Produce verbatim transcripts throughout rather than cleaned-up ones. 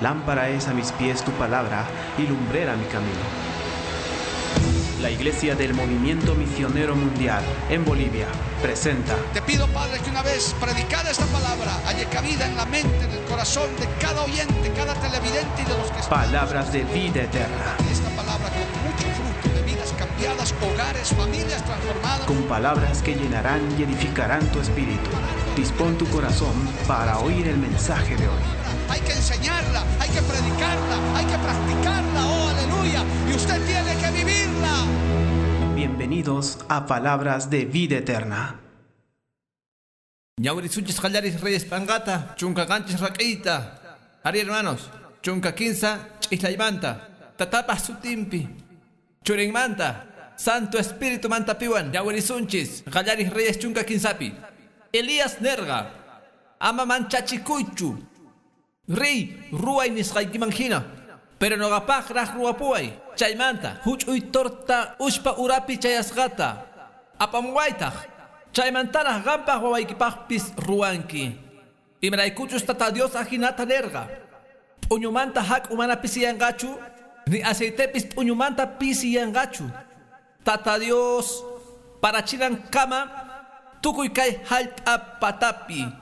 Lámpara es a mis pies tu palabra y lumbrera mi camino. La Iglesia del Movimiento Misionero Mundial en Bolivia presenta. Te pido, Padre, que una vez predicada esta palabra haya cabida en la mente, en el corazón de cada oyente, cada televidente y de los que están. Palabras de vida eterna. Esta palabra con mucho fruto de vidas cambiadas, hogares, familias transformadas. Con palabras que llenarán y edificarán tu espíritu. Dispón tu corazón para oír el mensaje de hoy. Hay que enseñarla, hay que predicarla, hay que practicarla, oh aleluya, y usted tiene que vivirla. Bienvenidos a Palabras de Vida Eterna. Ñawirisunchis qallaris reyes p'anqata, chunka qanchis rak'iyta. Ari hermanos, chunka kinsa ch'islaymanta, tatapaj sutinpi, churinmanta, Santo Espíritu mantapiwan, ñawirisunchis qallaris reyes chunka kinsapi. Elías nerqa, ama manchachikuychu. Riy, ruway nisqaykiman hina, pero nuqapaqraq ruwapuway. Chaymanta, huch'uy torta ushpa urapi chayasqata apamuwaytaq. Chaymantaraq qampaq wawaykipaqpis ruwanki. Imaraykuchus Tata Dios ajinata nerqa. P'uñumanta hak'u mana pisiyanqachu, ni aceitepis p'uñumanta pisiyanqachu. Tata Dios parachinankama tukuy kay hallp'a patapi.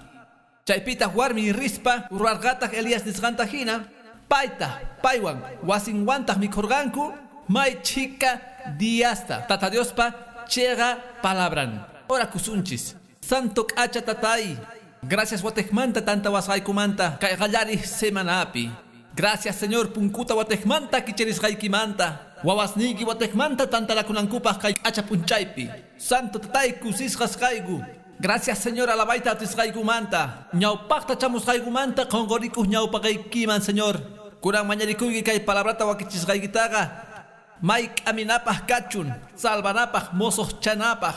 Chaypitaq warmi rispa ruwarqataq Elías nisqanta hina, payta paywan wasinwantaq mikhurqanku may chhika diasta. Tata Diospa chiqa palabran. Ora kusunchis. Santo k'acha tatay, gracias watejmanta tanta wasqaykumanta kay qallariq semanapi. Gracias Señor punkuta watejmanta kicharisqaykimanta. Wawasniyki watejmanta tantanakunankupaq kay k'acha p'unchaypi. Santo tatay kusisqas kayku. Gracias Señor alabayta atisqaykumanta. Ñawpaqta chamusqaykumanta qunqurikuq ñawpaqaykiman Señor. Kunan mañarikuyki kay palabrata wakichisqaykitaqa may k'aminapaq kachun, salvanapaq, mosoqchanapaq.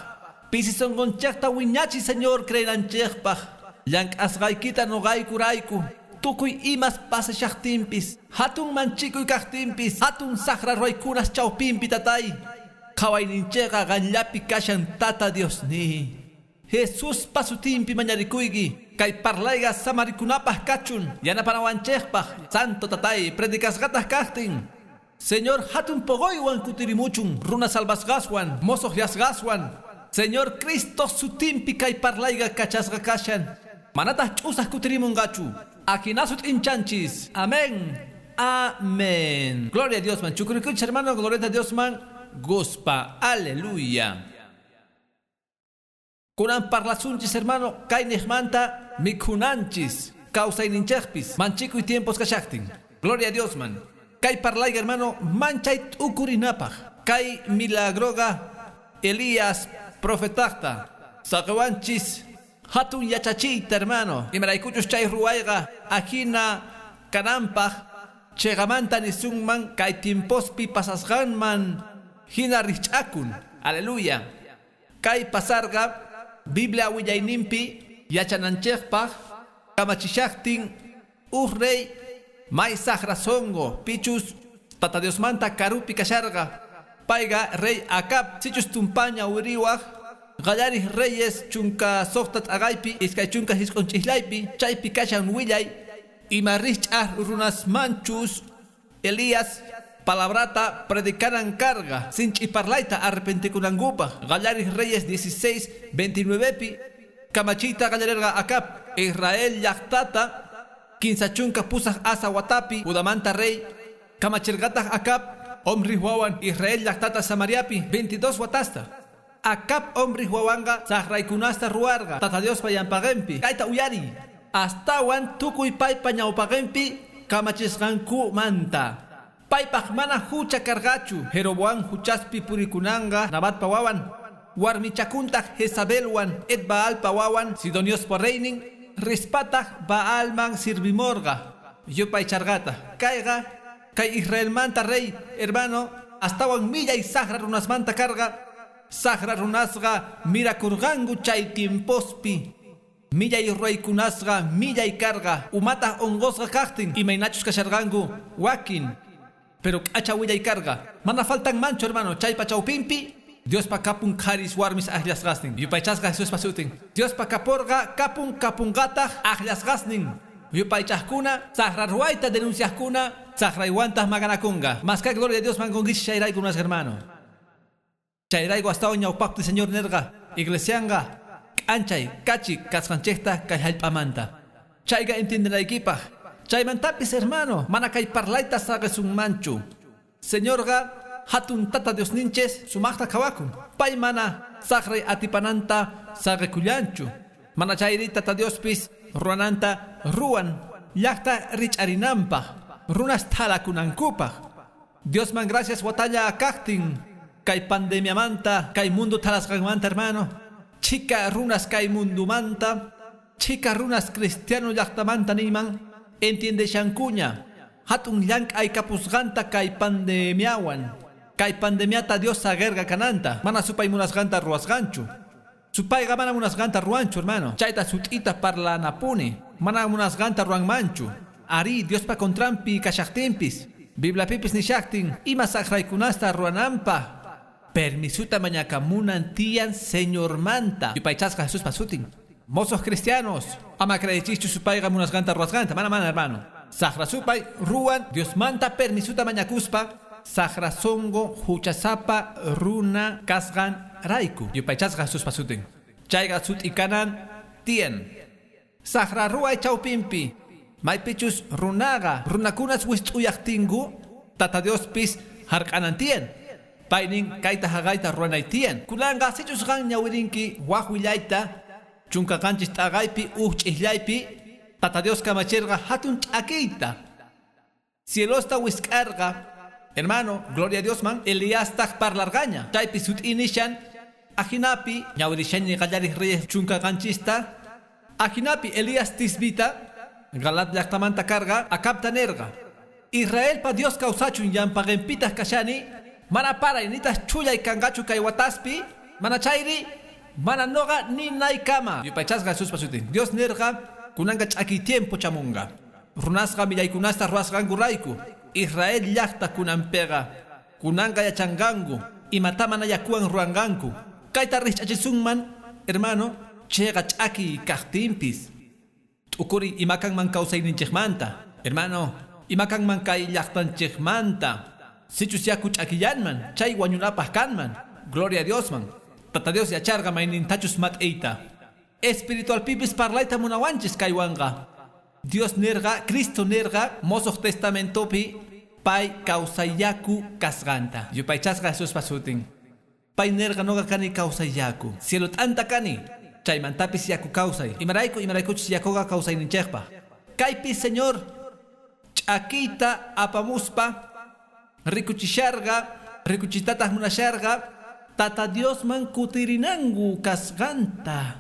Pisi sunqunchikta wiñachi Señor creenanchikpaq. Llank'asqaykita nuqaykurayku. Tukuy imas pasashaqtinpis, hatun manchikuy kaqtinpis, hatun saqra ruwaykunas chawpinpi tatay. Qhawayninchikqa qanllapi kashan Tata Diosniy. Jesús pasutimpi mañarikuyki, kay parlayqa samarikunapaq kachun, yanapanawanchikpaq, Santo tatay, predicasqataq kaqtin. Señor hatun poqoywan kutirimuchun, runa salvasqaswan, mosoqyasqaswan. Señor Cristo sutimpi kay parlayqa kachasqa kashan. Manataq ch'usaq kutirimunqachu. Ajinasut inchanchis. Amén. Amén. Gloria a Dios man. Chukurikuch hermano, gloria a Dios man. Guspa. Aleluya. Kunan parlasunchis hermano, kay niqmanta mikhunanchis, kawsayninchikpis, manchikuy tiempos kashaqtin. Gloria a Dios man. Kay parlayqa hermano, manchay t'ukurinapaq. Kay milagroqa Elías profetaqta saqiwanchis hatun yachachiyta hermano. Imaraykuchus chay ruwayqa ajina kananpaq chiqamanta nisunman kay tiempospi pasasqanman hina rich'akun. Aleluya. Kay pasarqa Biblia willayninpi yachananchikpaq kamachishaqtin uj rey may saqra sunqu pichus Tata Diosmanta karupi kasharqa. Payqa rey Acab sichus tumpaña wiriwaq qallariq reyes chunka suqta t'aqaypi iskay chunka hisq'un ch'islaypi chaypi kashan willay ima rich'aq runasmanchus Elías palabrata predicaran carga sinch'i parlayta arrepentikunankupaq. Qallariq Reyes dieciséis veintinuevepi kamachiyta qallarerqa Acab Israel llaqtata kinsa chunka pusaq asa watapi Judamanta rey kamachirqataq Acab Omri wawan Israel llaqtata Samariapi veintidós watasta. Acab Omri wawanqa saqraykunasta ruwarqa Tata Diospa yanpaqinpi. Kayta uyari astawan tukuy paypa ñawpaqinpi kamachisqankumanta. Paypaq mana hucha karqachu. Jeroboam huchaspi purikunanqa Nabatpa wawan, warmichakuntaq Jezabelwan Etbaalpa wawan Sidoniospa reynin rispataq Baalman sirvimorqa yupaycharqata. Kayqa kay Israelmanta rey hermano astawan millay saqra runasmanta karqa. Saqra runasqa mirakurqanku chay tiempospi. Millay ruwaykunasqa millay karqa. Umataq unqusqa kaqtin imaynachus kasharqanku wakin. Pero k'acha willay karqa. Mana faltan mancho hermano chaypa chawpinpi Diospa kapun qharis warmis aqllasqasnin. Yupaychasqa Jesuspa sutin. Diospa kaporqa kapun kapunqataq aqllasqasnin. Yupaychaqkuna, saqra ruwayta denunciaqkuna, saqraywantaq maqanakunqa. Maska gloria a Dios mankunkichis chayrayku munasqa hermano. Chayrayku astawan ñawpaqpi Señor nerqa, iglesianqa k'anchay kachi kasqanchikta kay hallp'amanta. Chayqa entiendenaykipaq. Chaymantapis hermano, mana kay parlayta saqisunmanchu. Señorqa hatun tata Diosninchis sumaqta qhawakun. Pay mana saqray atipananta saqikullanchu. Mana chayri tata Diospis ruwananta ruwan llaqta rich'arinanpaq, runas thalakunankupaq. Diosman gracias watalla kaqtin kay pandemiamanta, kay mundo thalasqanmanta hermano. Chika runas kay mundumanta, chika runas cristiano llaqtamanta niyman entiendeshankuña. Hatun llank'ay kapusqanta kay pandemiawan. Kay pandemiata Dios sagerga kananta, mana supay munasqanta ruwasqanchu. Supayqa mana munasqanta ruwanchu hermano. Chayta sut'ita parlanapuni, mana munasqanta ruwanmanchu. Ari Diospa contranpi kashaqtinpis, Bibliapipis nishaqtin, ima saqraykunasta ruwananpaq. Permisuta mañakamunan tiyan Señormanta. Yupaychasqa Jesuspa sutin. Mozos cristianos, ama creechischu supayqa munasqanta ruwasqanta, mana mana hermano. Saqra supay ruwan Diosmanta permisuta mañakuspa, saqra songo huchasapa runa kasqan rayku. Yupaychasqa Jesuspa sutin. Chayqa sut'ikanan tiyan. Saqra ruway chawpinpi, maypichus runaqa runakunas wist'uyaqtinku, tata Diospis hark'anan tiyan. Paynin kayta haqayta ruwanay tiyan. Kunanqa sichus qan ñawirinki waq willayta, chunka qanchis t'aqaypi uj ch'isllaypi, tata Dios kamachirqa hatun ch'akiyta. Cielosta wisk'arqa, hermano, gloria a Dios man, Eliastaq parlarqaña. Chaypi sut'inishan, ajinapi, ñawirishani qallariq reyes chunka qanchista, ajinapi Elías tisbita, Galat llaqtamanta karqa, Acabta nerqa. Israelpa Dios kawsachun llampaqinpitaq kashani, mana paray nitaq chullay kanqachu kay wataspi, mana chayri, mana noqa ni naykama. Yupaychasqa Jesuspa sutin. Dios nerqa, kunanqa ch'akiy tiempo chamunqa. Runasqa millaykunasta ruwasqankurayku. Israel llaqta kunanpiqa, kunanqa yachanqanku, imata mana yakuwan ruwanqanku. Kayta rich'achisunman, hermano, chayqa ch'akiy kaqtinpis. T'ukuri imakanman kawsayninchikmanta, hermano, imakanman kay llaqtanchikmanta. Sichus yaku ch'akillanman, chay wañunapaq kanman. Gloria a Diosman. Tata Dios yacharqa maynintachus mat'iyta. Espiritualpipis parlayta munawanchis kaywanqa. Dios nerqa, Cristo nerqa, Mosoq Testamentopi pay kawsayaku kasqanta. Yupaychasqa Jesuspa sutin. Pay nerqa noqa kani kawsayaku. Cielo t'anta kani, chaymantapis yaku kawsay. Imarayku imaraykuchus yakuqa kawsayninchikpaq. Kaypi Señor ch'akiyta apamuspa rikuchisharqa, rikuchitataq munasharqa, tata Diosman kutirinanku kasqanta.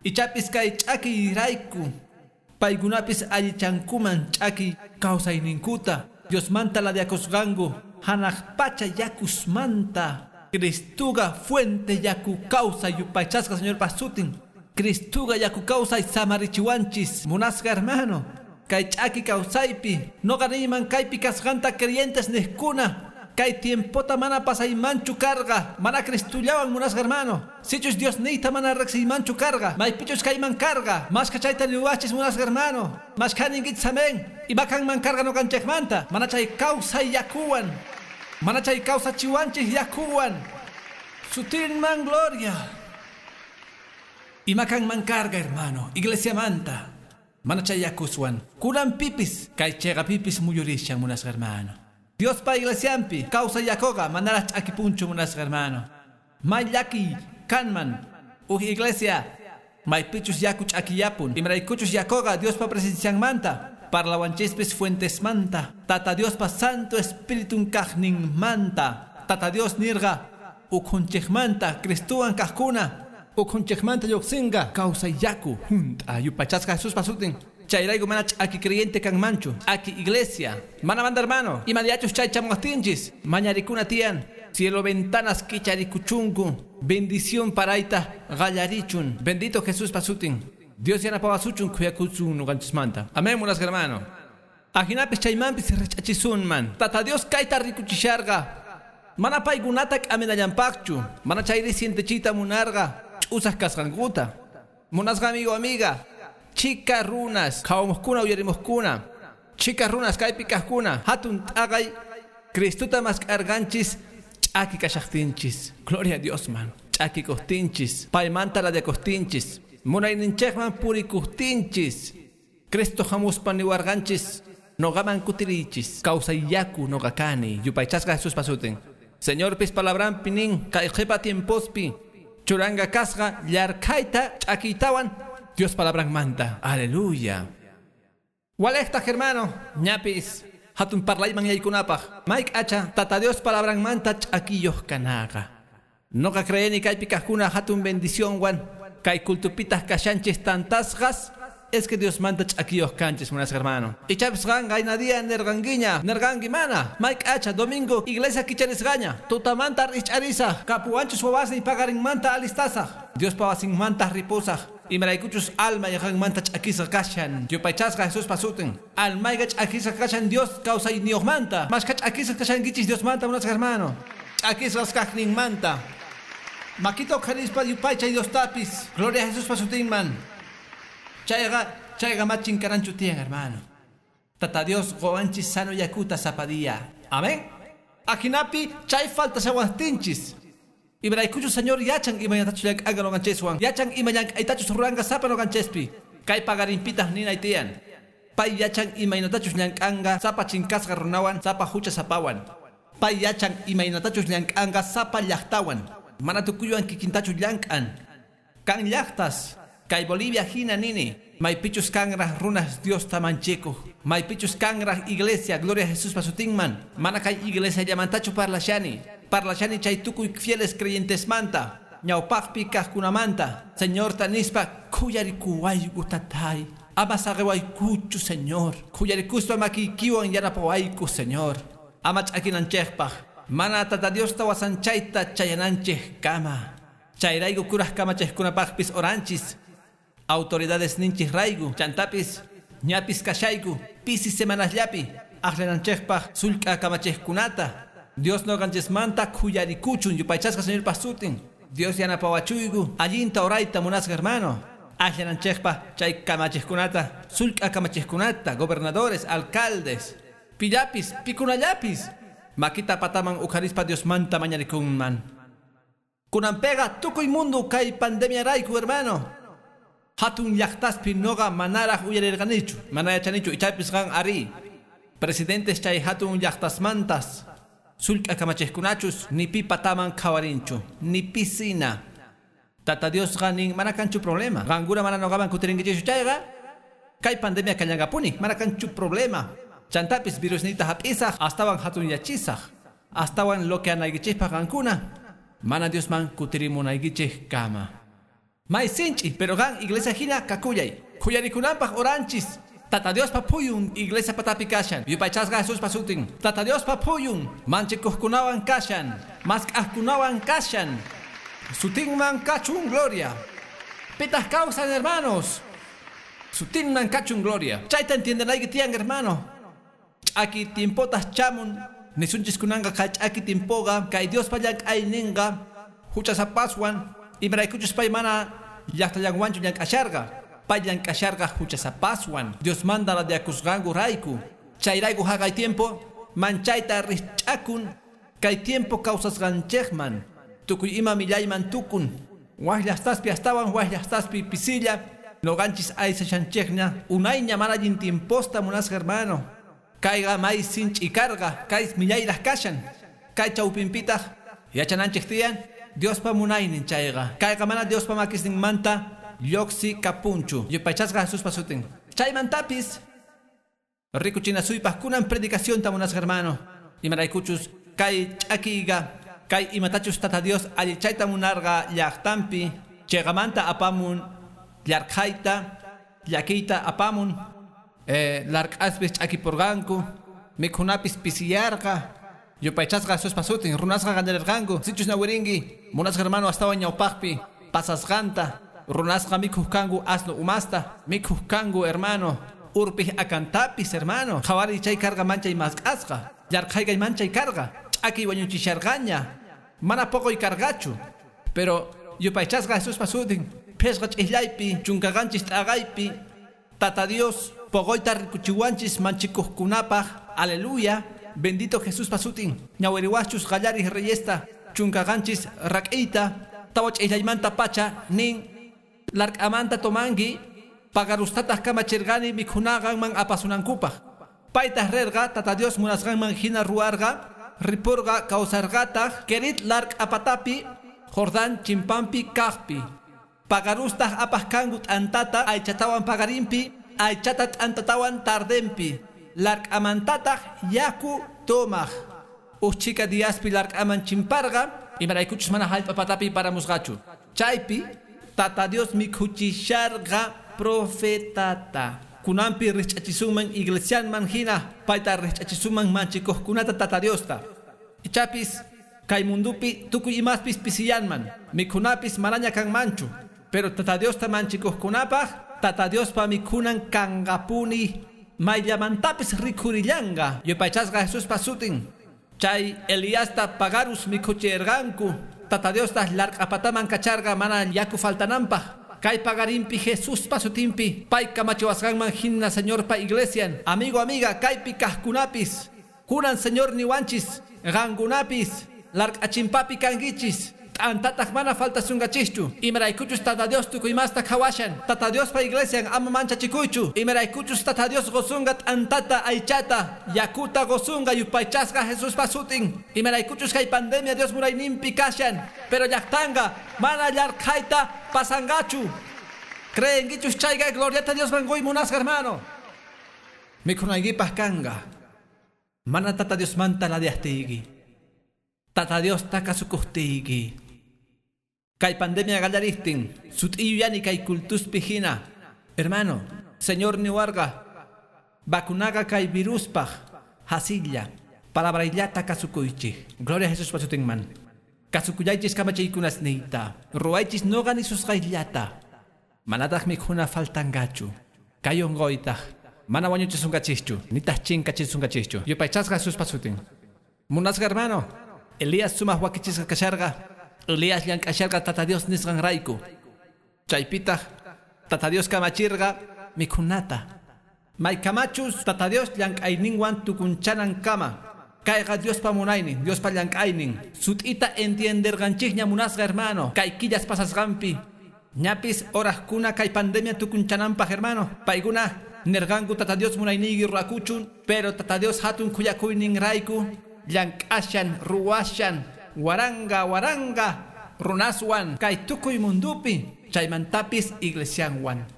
Ichapis kay ch'akiyrayku paykunapis allichankuman ch'aki kawsayninkuta. Diosmanta ladiakusqanku hanaq pacha yakusmanta. Cristuqa fuente yaku kawsay. Yupaychasqa Señorpa sutin. Cristuqa yaku kawsay samarichiwanchis. Munasqa hermano, kay ch'aki kawsaypi noqa niyman kaypi kasqanta creyentes niqkuna. Kay tiempota mana pasaymanchu karqa, mana Cristullawan munasqa hermano. Sichus Dios niyta mana riqsiymanchu karqa, maypichus kayman karqa, mashka chayta niwachis munasqa hermano. Mashka ninkichis amén. Imakanman karqa noqanchikmanta, mana chay kawsay yakuwan, mana chay kawsachiwanchis yakuwan. Sutinman gloria. Imakanman karqa hermano, iglesiamanta, mana chay yakuswan. Kunan pipis, kay chayqa pipis muyurishan munasqa hermano. Diospa iglesiampi kawsay yakuqa manaraq ch'akipunchu munasqa hermano. May llaki kanman uj iglesia maypichus yaku ch'akiyapun. Imaraykuchus yakuqa Diospa presencianmanta, parlawanchispis fuentesmanta, Tata Diospa Santo Espiritun kaqninmanta. Tata Dios nirqa ukhunchikmanta Cristuwan kaqkuna ukhunchikmanta lluqsinqa kawsay yaku junt'a. Yupaychasqa Jesuspa sutin. Chayrayku mana ch'aki creyente kanmanchu, ch'aki iglesia. Mana manda hermano, imadiachus chay chamuqtinchis, mañarikuna tiyan, cielo ventanas kicharikuchunku, bendición parayta qallarichun. Bendito Jesús pasutin. Dios yanapawasuchun khuyakuchun nuqanchismanta. Amén, munasqa hermano. Ajinapis chaymanpis rich'achisunman. Tata Dios kayta rikuchisharqa. Mana paykunata k'aminallanpaqchu, mana chayri sientechita munarqa, ch'usaq kasqankuta. Munasqa amigo, amiga, Chika runas qhawamuqkuna uyarimuqkuna chika runas kaypi kaqkuna hatun t'aqay Cristuta mask'arqanchis ch'aki kashaqtinchis. Gloria a Dios man. Ch'aki kuqtinchis, paymanta radiakuqtinchis, munayninchikman purikuqtinchis. Cristo hamuspa niwarqanchis noqaman kutirichis, kawsayyaku noqa kani, yupaychasqa Jesuspa sutin. Señorpis palabranpi nin kay qhipa tiempospi churanga kasqa llarkhayta ch'akiytawan Dios palabranmanta. Aleluya. Walejtaj hermano, ñapis hatun parlayman yaykunapaq mayk acha tata Dios palabranmanta ch'akiyuq kanaqa. Noqa creeni kaypi kaqkuna hatun bendicionwan kay kultupitaj kashanchis tantasqas es que Dios manta ch'akiyuq kanchis munasqa hermano. Ichapis qan qaynadia nerqankiña nerqanki mana mayk acha domingo iglesia kicharisqaña tutamanta rich'arisaq kapuwanchus wawasniy paqarinmanta alistasaq Diospa wasinmanta ripusaq imaraykuchus alma yaqanmanta ch'akisqa kashan yupaychasqa Jesuspa sutin almayqa ch'akisqa kashan Dios kawsayniyuqmanta mashka ch'akisqa kashankichis Diosmanta munasqa hermano ch'akisqas kaqninmanta makita uqharispa yupaychay Diostapis gloria a Jesuspa sutinman. Chayqa chayqa machin karanchu tiyan hermano. Tata Dios qowanchis sano yakuta sapadía. Amén. Ajinapi chay falta shawastinchis. Imaraykuchus Señor yachan imaynatachus llank'anqa noqanchiswan. Yachan ima llank'aytachus ruranqa sapa noqanchespi. Kay paqarinpitaq ninay tiyan. Pay yachan imaynatachus llank'anqa sapa chinkasqa runawan sapa hucha sapawan. Pay yachan imaynatachus llank'anqa sapa llaqtawan. Mana tukuywan kikintachu llank'an. Kan llaqtas kay Bolivia hina nini maypichus kanraj runas Dios tamanchikuq maypichus kanraj iglesia gloria a Jesuspa sutinman mana kay iglesia llamantachu parlashani parlashani chay tukuy fieles creyentesmanta ñawpaqpi kaqkunamanta Señor nispa khuyarikuwayku tatay ama saqewaykuchu Señor khuyarikuspa makiykiwan yanapawayku Señor ama ch'akinanchikpaq mana tata Diosta wasanchayta chayananchik kama chayrayku kuraj kamachikkunapaqpis oranchis autoridades ninchis rayku chantapis ñapis kashayku pisi semanasllapi aqllananchikpaq sullk'a kamachikkunata Dios noqanchismanta khuyarikuchun yupaychasqa Señorpa sutin Dios yanapawachuyku allinta orayta munasqa hermano aqllananchikpaq chay kamachikkunata sullk'a kamachikkunata gobernadores alcaldes pillapis pikunallapis makita pataman uqharispa Diosmanta mañarikunman. Kunanpiqa tukuy mundo kay pandemia rayku hermano. Hatun llaqtaspi noqa manaraq uyarirqanichu mana yachanichu ichapis qan ari presidentes chay hatun llaqtasmantas sullk'a kamachikkunachus ni pi pataman qhawarinchu ni pisina. Tata Diosqa nin mana kanchu problema qankuna mana noqaman kutirinkichikchu chayqa kay pandemia kallanqapuni mana kanchu problema chantapis virusniyta hap'isaq astawan hatunyachisaq astawan loqueanaykichikpaq qankuna mana Diosman kutirimunaykichik kama. May sinchi, pero gan iglesia hina kakuyay. Khuyarikunanpaq oranchis. Tata Diospa phuyun iglesia patapi kashan. Yupaychasqa Jesuspa sutin. Tata Diospa phuyun manchikuqkunawan kashan. Mask'aqkunawan kashan. Sutinman kachun gloria. Pitaq kawsan hermanos. Sutinman kachun gloria. Chayta entiendenayki tiyan hermano. Ch'aki tiempotas chamun. Nisunchis kunanqa kay ch'aki tiempoqa kay Diospa llank'ayninqa huchasapaswan imaraykuchus pay mana llaqtallanwanchu llank'asharqa pay llank'asharqa huchasapaswan Diosmanta radiakusqanku rayku chayrayku haqay tiempo manchayta rich'akun kay tiempo kawsasqanchikman tukuy ima millayman tukun waj llaqtaspi astawan waj llaqtaspi pisilla noqanchis aysashanchikña unayña mana allin tiemposta munasqa hermano kayqa may sinch'ikarqa kay millayraq kashan kay chawpinpitaq yachananchik tiyan Diospa munaynin chayqa kayqa mana Diospa makisninmanta lluqsi kapunchu yupaychasqa Jesuspa sutin chaymantapis rikuchinasuypaq kunan predicacionta munasqa hermano imaraykuchus kay ch'akiyqa kay imatachus tata Dios allichayta munarqa llaqtanpi chayqamanta apamun llarqhayta llakiyta apamun eh, larq'aspis ch'akipurqanku mikhunapis pisiyarqa yupaychasqa Jesuspa sutin runasqa qallarirqanku sichus nawirinki munasqa hermano astawan ñawpaqpi pasasqanta runasqa mikhuq kanku asno umasta mikhuq kanku hermano urpij akantapis hermano qhawariy chay karqa manchay mask'asqa llarqhaykay manchay karqa ch'akiy wañuchisharqaña mana poqoy karqachu pero yupaychasqa Jesuspa sutin phishqa ch'islaypi chunka qanchis t'aqaypi Tata Dios pogoyta rikuchiwanchis manchikuqkunapaq. Aleluya. Bendito Jesús pasutin. Ñawiriwachus qallarij reyesta chunka qanchis rak'iyta tawa ch'illaymanta pacha nin lark'amanta tomangi pagarustataq kamachirqani mikhunaqanman apasunankupaq. Paytaq rerqa Tata Dios munasqanman hina ruwarqa ripurqa kawsarqataq Kerit lark'apatapi Jordán chimpampi kaqpi. Pagarustaq apaq kanku t'antata aychatawan pagarinpi aychata t'antatawan tardenpi. Lark'amantataq yaku tomaq. Uchika diaspi lark'aman chimparqa imaraykuchus mana hallp'apatapi paramusqachu. Chaypi Tata Dios mikhuchisharqa profetata. Kunanpi rich'achisunman iglesianman hina payta rich'achisunman manchikuqkunata Tata Diosta. Ichapis kay mundupi tukuy imaspis pisiyanman mikhunapis manaña kanmanchu. Pero Tata Diosta manchikuqkunapaq Tata Diospa mikhunan kanqapuni. Mayllamantapis rikhurillanqa. Yupaychasqa Jesús pasutin. Chay Eliasta pagarus mikhuchirqanku. Tata Diosta lark'apataman kacharqa mana yaku faltananpaq. Kay pagarinpi Jesús pasutinpi pay kamachiwasqanman hina Señorpa iglesian. Amigo, amiga, kaypi kaqkunapis. Kunan Señor niwanchis qankunapis lark'achimpapi kankichis. T'antataq mana faltasunqachischu. Imaraykuchus Tata Dios tukuy imasta qhawashan. Tata Diospa iglesian ama manchachikuychu. Imaraykuchus Tata Dios qusunqa t'antata aychata yakuta qusunqa yupaychasqa Jesuspa sutin. Imaraykuchus kay pandemia Dios munayninpi kashan. Pero llaqtanqa mana llarqhayta pasanqachu. Creenkichus chayqa gloriata Diosman quy munasqa hermano. Mikhunaykipaq kanqa. Mana Tata Diosmanta ladiastiyki. Tata Diosta kasukuqtiyki. Kay pandemia qallaristin, sut'iyuyani kay kultuspi hina. Hermano, Señor niwarqa, vacunaqa kay viruspaq, hasilla, palabrayllata kasukuychik. Gloria a Jesús pasutinman. Kasukuyaychis kamachiykunasniyta, ruwaychis noqa nisusqayllata. Manataq mikhuna faltanqachu. Kay unquytaq, mana wañuchisunqachischu, nitaq chinkachisunqachischu. Yupaychasqa Jesús pasutin. Munasqa hermano, Elías sumaq wakichisqa kasharqa. Elías llank'asharqa Tata Dios nisqanrayku. Chaypitaq Tata Dios kamachirqa mikhunata. Maykamachus Tata Dios llank'ayninwan tukunchanankama. Kayqa Diospa munaynin, Diospa llank'aynin. Sut'ita entienderqanchikña munasqa hermano. Kay killas pasasqanpi. Ñapis horajkuna kay pandemia tukunchananpaq hermano. Paykuna nirqanku Tata Dios munayniyki rurakuchun, pero Tata Dios hatun khuyakuyninrayku llank'ashan ruwashan waranga waranga runaswan kay tukuy mundupi chaymantapis iglesianwan.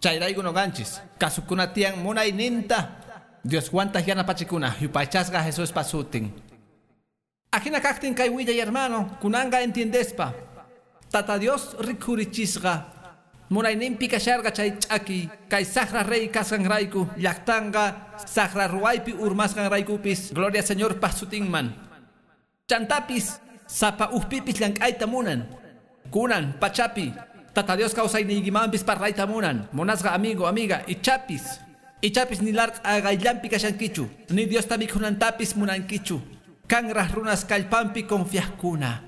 Chayrayku noqanchis kasukuna tiyan munayninta Dioswantaq yanapachikuna yupaychasqa Jesuspa sutin. Ajina kaqtin kay willay hermano kunanqa entiendespa Tata Dios rikhurichisqa munayninpi kasharqa chay ch'aki kay saqra rey kasqanrayku llaqtanqa saqra ruwaypi urmasqanraykupis gloria Señorpa sutinman. Chantapis sapa ujpipis llank'ayta munan. Kunan pachapi Tata Dios kawsayniykimanpis parlayta munan. Munasqa amigo, amiga, ichapis. Ichapis ni lark'aqayllanpi kashankichu, ni Diosta mikhunantapis munankichu. Kanraq runas kallpanpi confiaqkuna.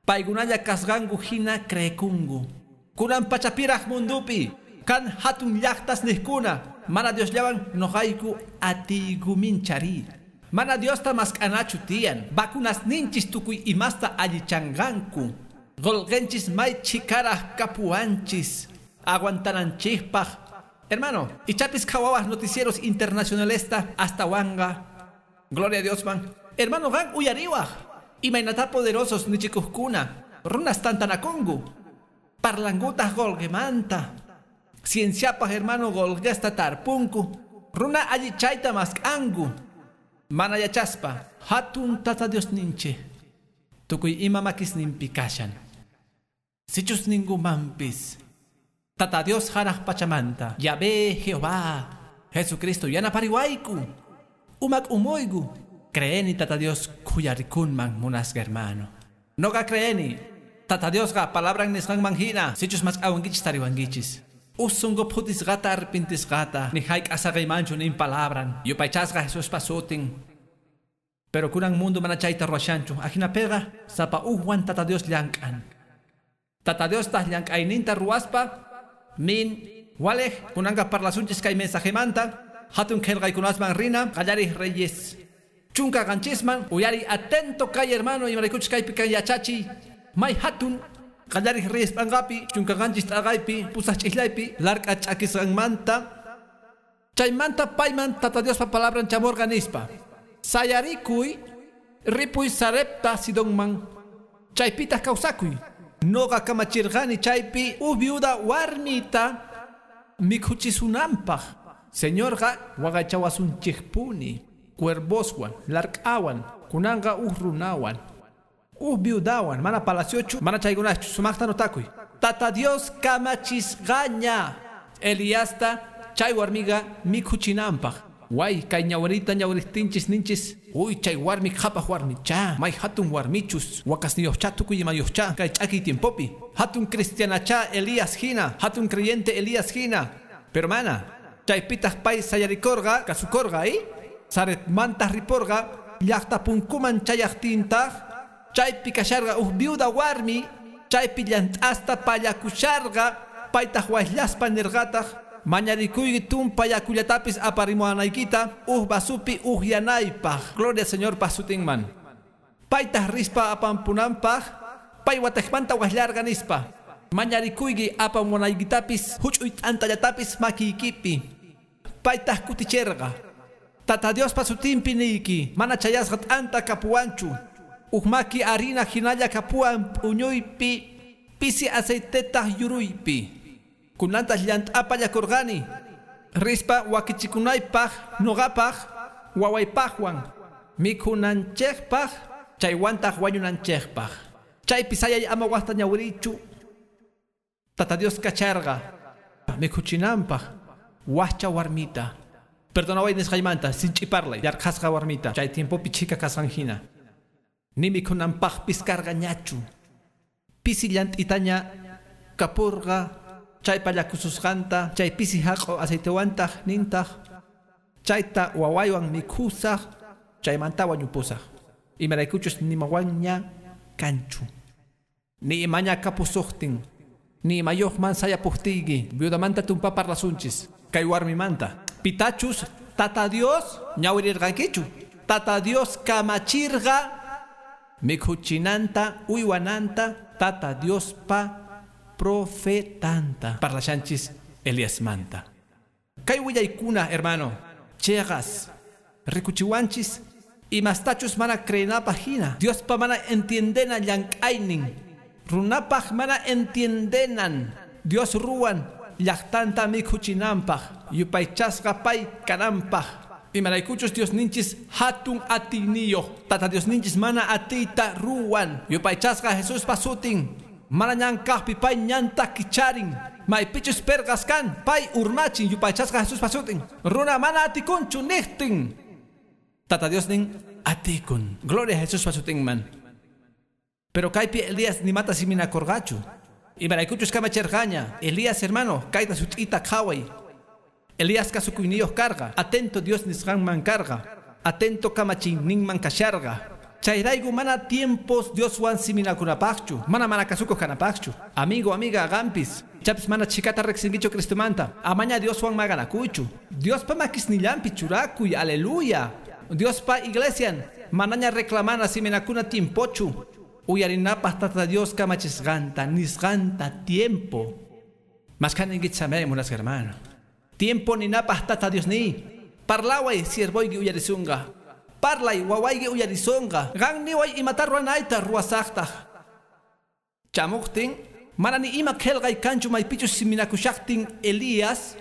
Paykunalla kasqanku hina creekunku. Kunan pachapiraq mundupi kan hatun llaqtas niqkuna. Mana Diosllawan noqayku atiykuminchari. Mana Diosta mask'anachu tiyan. Vacunas ninchis tukuy imasta allichanqanku. Qolqenchis may chikaraq kapuwanchis. Aguantananchikpaq. Hermano, ichapis qhawawaq noticieros internacionalesta hasta wanga. Gloria a Dios man. Hermano, qan uyariwaq. Imaynata poderosos nichikuqkuna. Runas tantanakunku. Parlankutaq qolqemanta. Cienciapaq hermano qolqesta tarpunku. Runa allichayta mask'anku. Mana yachaspa, hatun Tata Dios ninche. Tukuy ima makisninpi kashan. Sichus ningumanpis. Tata Dios hanaq pachamanta. Yahvé, Jehová, Jesucristo yanapariwayku. Umak umoygu. Creeni Tata Dios khuyarikunman munasqa hermano. Noqa creeni. Tata Diosqa palabran nisqanman hina. Sichus mask'awankichis tariwankichis. Usungo phutisqata arpintisqata. Ni hayk'asaqaymanchu nin palabran. Yupaychasqa Jesuspa sutin. Pero kunan mundo mana chayta ruwashanchu. Ajinapiqa sapa ujwan Tata Dios llank'an. Tata Dios taq llank'ayninta ruwaspa min Walej, kunanqa parlasunchis kay mensajemanta, hatun qillqaykunasman rina, qallarij reyes. Chunka qanchisman, uyari atento kay hermano, imaraykuchus kaypi kan yachachiy, may hatun, qallarij reyes p'anqapi, chunka qanchis t'aqaypi, pusaq ch'islaypi, lark'a ch'akisqanmanta, chaymanta payman Tata Diospa palabran chamurqa nispa. Sayarikuy, ripuy Sarepta Sidonman, chaypitaq kawsakuy. Noqa kamachirqani chaypi uj viuda warmita mikhuchisunanpaq. Señorqa waqaychawasunchikpuni, cuervoswan, lark'awan, kunanqa uj runawan, uj viudawan, mana palaciochu, mana chaykunachu, sumaqta notakuy. Tata Dios kamachisqaña Eliasta chay warmiqa mikhuchinanpaq. Way, kay ñawrita ñawriqtinchis ninchis, uy, chay warmi qhapaq warmicha, may hatun warmichus, wakasniyuqcha tukuy imayuqcha, kay ch'akiy tiempopi, hatun cristianacha Elías hina, hatun creyente Elías hina. Pero mana, chaypitaq pay sayarikorqa, kasukorqa, ¿eh? Saretmanta riporqa, llaqta punkuman chayaqtintaq, chaypi kasharqa uj viuda warmi, chaypi llant'asta pallakusharqa, paytaq wayllaspa nirqataq, mañarikuyki tumpa yakullatapis aparimuanaykita, uj basupi ujyanaypaq. Gloria Señor pasutinman. Paytaq rispa apampunanpaq, pay wataqmanta wayllarqa nispa. Mañarikuyki apamunaykitapis, huch'uy t'antallatapis makiykipi. Paytaq kuticherqa. Tata Diospa sutinpi niyki, mana chayasqa t'anta kapuwanchu. Uj maki harina hinalla kapuwan p'uñuypi, pisi aceitetaq yuruypi. Kunantas llant'apa llakurqani, rispa wakichikunaypaq, nuqapaq, wawaypaqwan, mikhunanchikpaq, chaywantaq wañunanchikpaq. Chaypi sayay ama waqta ñawirichu. Tata Dios kacharqa, mikhuchinanpaq, wajcha warmita. Perdonaway nisqaymanta, sinch'i parlay, yarqhasqa warmita, chay tiempopi chhika kasqan hina. Ni mikhunanpaqpis karqañachu. Pisi llant'itaña kapurqa, chay pallakususqanta, chay pisi haq'u aceitewantaq nintaq, chayta wawaywan mikhusaq, chaymanta wañupusaq. Imaraykuchus nimawanña kanchu. Ni imaña kapusuqtin, ni imayuqman sayapuqtiyki, viudamanta tumpa parlasunchis, kay warmimanta. Pitachus, Tata Dios ñawirirqankichu. Tata Dios kamachirqa mikhuchinanta, uywananta, Tata Diospa profetanta. Parlashanchis Eliasmanta. Kay willaykuna, hermano, chegas, rikuchiwanchis, imastachus mana creenapaq hina, Diospa mana entiendena llank'aynin, runapaq mana entiendenan, Dios ruwan llaqtanta mikhuchinanpaq, yupaychasqa pay kananpaq. Imaraykuchus Dios ninchis hatun atiyniyuq, Tata Dios ninchis mana atiyta ruwan, yupaychasqa Jesuspa sutin. Mana ñankaqpi pay ñanta kicharin, maypichus perqas kan, pay urmachin, yupaychasqa Jesuspa sutin. Runa mana atikunchu niqtin, Tata Dios nin atikun. Gloria a Jesuspa sutinman. Pero kaypi Elías nimata siminakorqachu. Imaraykuchus kamacherqaña, Elías hermano, kayta sut'ita qhaway. Elías kasukuyniyuq karqa, atento Dios nisqanman karqa, atento kamachiyninman kasharqa. Chayrayku mana tiempos Dioswan siminakunapaqchu, mana mana kasukuq kanapaqchu. Amigo, amiga, gampis, chapis mana chikata riqsinkichu Cristomanta, amaña Dioswan maganakuychu. Diospa makisnillanpi churakuy, aleluya. Diospa iglesian, manaña reclamana siminakuna tiempochu. Uyarinapaq Tata Dios kamachisqanta, nisqanta tiempo. Maskaningitsamay munasqa hermano. Tiempo ninapaq Tata Dios ni. Parlaway siervoyki uyarisunqa. Parlay wawayki uyarisonqa. Qan niway imata ruwanayta ruwasaqtaq. Chamuqtin, mana ni ima qillqay kanchu maypichus siminakushaqtin Elías,